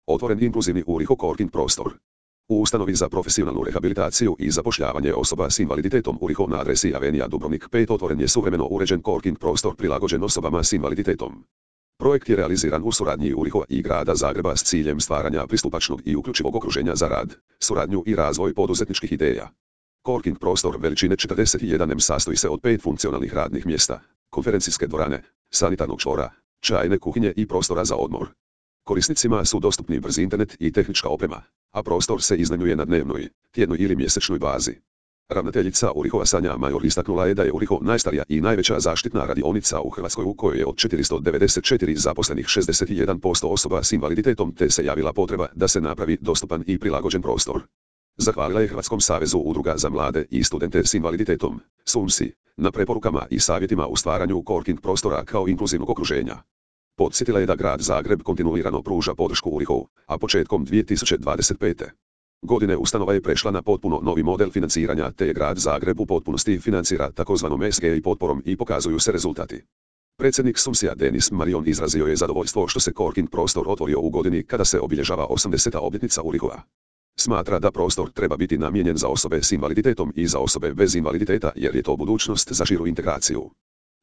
Otvoren inkluzivni Uriho Coworking prostor. U ustanovi za profesionalnu rehabilitaciju i zapošljavanje osoba s invaliditetom Uriho na adresi Avenija Dubrovnik 5 otvoren je suvremeno uređen coworking prostor prilagođen osobama s invaliditetom. Projekt je realiziran u suradnji Uriho i Grada Zagreba s ciljem stvaranja pristupačnog i uključivog okruženja za rad, suradnju i razvoj poduzetničkih ideja. Coworking prostor veličine 41 m sastoji se od 5 funkcionalnih radnih mjesta, konferencijske dvorane, sanitarnog čvora, čajne kuhinje i prostora za odmor. Korisnicima su dostupni brzi internet i tehnička oprema, a prostor se iznajmljuje na dnevnoj, tjednoj ili mjesečnoj bazi. Ravnateljica Urihova Sanja Major istaknula je da je Uriho najstarija i najveća zaštitna radionica u Hrvatskoj u kojoj je od 494 zaposlenih 61% osoba s invaliditetom te se javila potreba da se napravi dostupan i prilagođen prostor. Zahvalila je Hrvatskom savezu udruga za mlade i studente s invaliditetom, SUMSI, na preporukama i savjetima u stvaranju coworking prostora kao inkluzivnog okruženja. Podsjetila je da Grad Zagreb kontinuirano pruža podršku Urihovu, a početkom 2025. godine ustanova je prešla na potpuno novi model financiranja te je Grad Zagreb u potpunosti financira takozvanom SGI potporom i pokazuju se rezultati. Predsjednik SUMSI-a Denis Marion izrazio je zadovoljstvo što se coworking prostor otvorio u godini kada se obilježava 80. obljetnica Urihova. Smatra da prostor treba biti namijenjen za osobe s invaliditetom i za osobe bez invaliditeta jer je to budućnost za širu integraciju.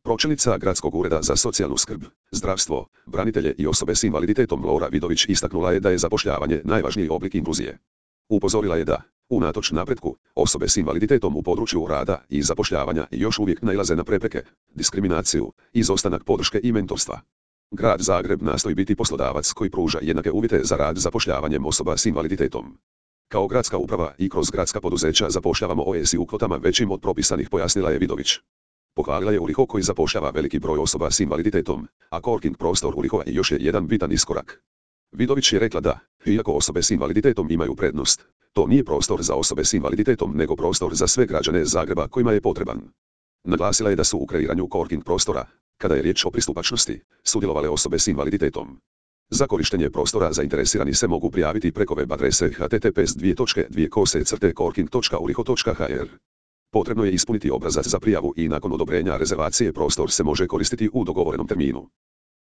Pročelnica Gradskog ureda za socijalnu skrb, zdravstvo, branitelje i osobe s invaliditetom Lora Vidović istaknula je da je zapošljavanje najvažniji oblik inkluzije. Upozorila je da, unatoč napretku, osobe s invaliditetom u području rada i zapošljavanja još uvijek nailaze na prepreke, diskriminaciju, izostanak podrške i mentorstva. Grad Zagreb nastoji biti poslodavac koji pruža jednake uvjete za rad zapošljavanjem osoba s invaliditetom. Kao gradska uprava i kroz gradska poduzeća zapošljavamo OSI u kvotama većim od propisanih, pojasnila je Vidović. Pohvalila je Uriho koji zapošljava veliki broj osoba s invaliditetom, a coworking prostor Urihova još je jedan bitan iskorak. Vidović je rekla da, iako osobe s invaliditetom imaju prednost, to nije prostor za osobe s invaliditetom nego prostor za sve građane Zagreba kojima je potreban. Naglasila je da su u kreiranju coworking prostora, kada je riječ o pristupačnosti, sudjelovale osobe s invaliditetom. Za korištenje prostora zainteresirani se mogu prijaviti preko web adrese https://coworking.uriho.hr. Potrebno je ispuniti obrazac za prijavu i nakon odobrenja rezervacije prostor se može koristiti u dogovorenom terminu.